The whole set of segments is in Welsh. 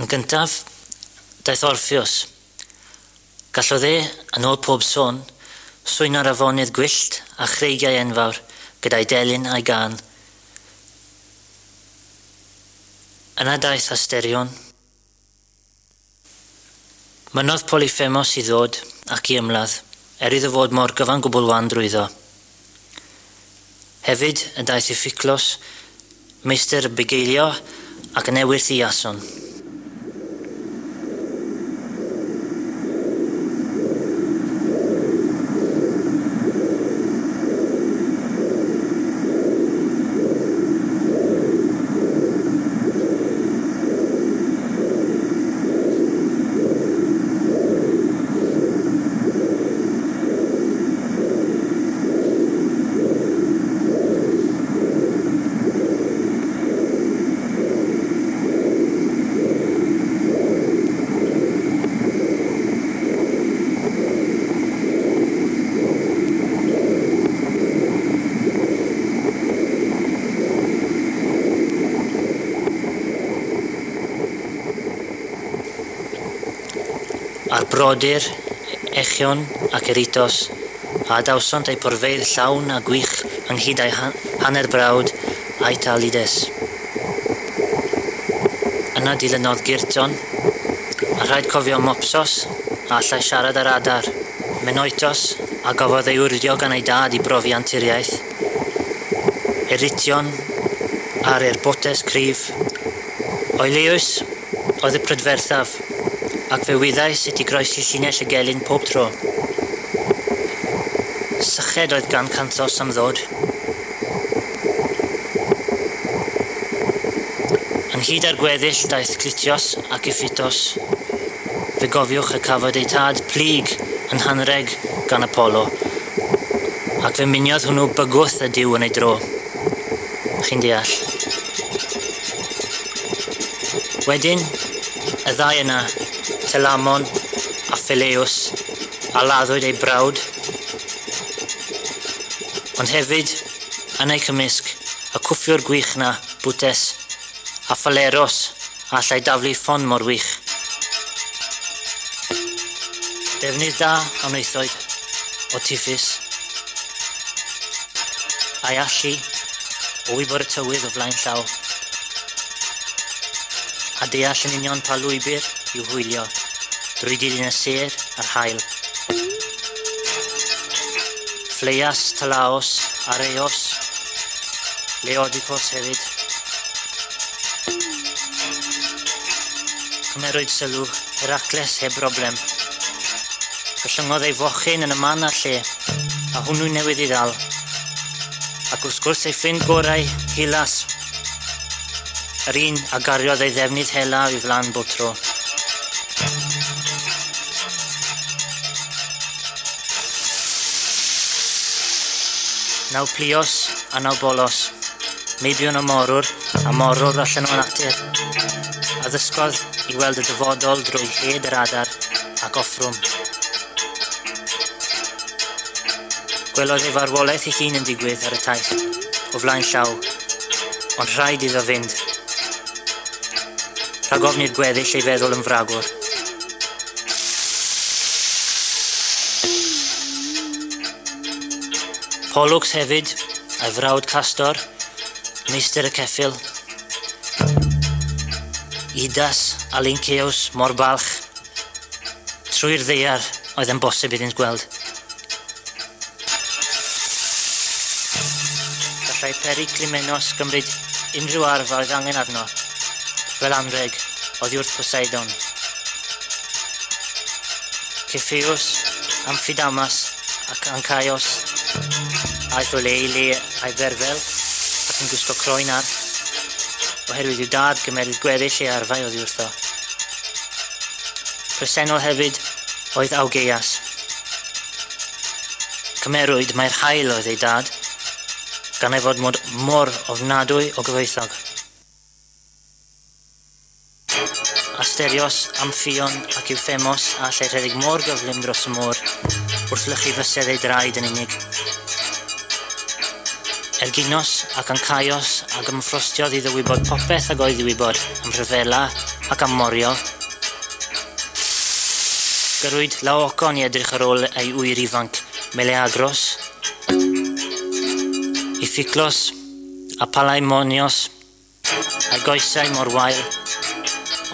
Yn gyntaf, daeth Orpheus. Gallodd e, yn ôl pob sôn, swyno'r afonydd gwyllt a chreigiau enfawr gyda'i delyn a'i gân. Yna daeth Asterion. Mynnodd Polyphemos i ddod ac i ymladd, er iddo fod mor gyfan gwbl wan drwyddo. Hefyd y daeth Iphiclos, meistr y bugeilio ac yn ewyrth i Iason. A'r brodyr, Echion ac Eritos, a adawsont eu porfeydd llawn a gwych ynghyd â'i hanner brawd Aetalides. Yna dilynodd Gyrton, a rhaid cofio Mopsos, a allai siarad â'r adar, Menoitos, a gafodd ei wrdio gan ei dad i brofi anturiaeth, Erition, a'r Erbotes cryf, Oileus oedd y prydferthaf, ac fe wyddai sut i groesi llinell y gelyn pob tro. Syched oedd gan Canthos am ddod. Ynghyd â'r gweddill daeth Clitios ac Iphitos. Fe gofiwch y cafwyd eu tad plyg yn hanreg gan Apollo, ac fe muniodd hwnnw bygwth y duw yn ei dro. Chi'n deall. Wedyn, y ddau yna, Telamon a Phileus, a laddwyd ei brawd. Ond hefyd, yn eu cymysg, y cwffiwr gwych na, Butes, a Phaleros, a allai daflu ffon mor wych. Defnydd da a wnaethoed o Tiffus, a'i allu o wybod y tywydd o flaen llaw, a deall yn union pa lwybr i'w hwylio drwy dilyn y sêr a'r haul. Phleias, Talaos, Areos, Leodicos hefyd. Cymerwyd sylw Heracles heb broblem. Gollyngodd ei fochyn yn y man a'r lle, a hwnnw newydd ei ddal. Ac wrth gwrs ei ffrind gorau, Hylas, yr un a gariodd ei ddefnydd hela o'i flan bob tro. Nauplios a Naubolos, meibion y morwr a morwr allan o natur, a ddysgodd i weld y dyfodol drwy hed yr adar ac offrwm. Gwelodd ei farwolaeth ei hun yn digwydd ar y taith, o flaen llaw, ond rhaid iddo fynd. Rhag ofn i'r gweddill ei feddwl yn fragwr. Pollux hefyd, a'i frawd Castor, meistr y ceffyl. Idas a Lynceus mor balch. Trwy'r ddaear oedd yn bosib iddynt gweld. Gallai Periclymenos gymryd unrhyw arf a oedd angen arno, fel anrheg oddi wrth Poseidon. Cepheus, Amphidamas ac Ancaios aeth o le i le a'i berfel ac yn gwisgo croen arth, oherwydd i'w dad gymeryd gweddill ei arfau oddi wrtho. Presennol hefyd oedd Augeias. Cymerwyd mai'r haul oedd ei dad, gan ei fod mod mor ofnadwy o gyfoethog. Asterios, Amphion ac Euphemos a allai rhedeg mor gyflym dros y môr wrth lychu fysedd ei draed yn unig. Erginos ac Ancaios ag ymffrostiodd iddo wybod popeth ag oedd i wybod am rhyfela ac am morio. Gyrwyd Laocoon i edrych ar ôl ei ŵyr ifanc, Meleagros, Iphiclos a Palaemonios, a'i goesau mor wael,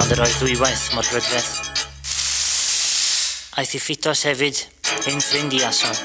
ond yr oedd ddwywaith mor brydferth. Aeth Iphitos hefyd, hen ffrind Iason,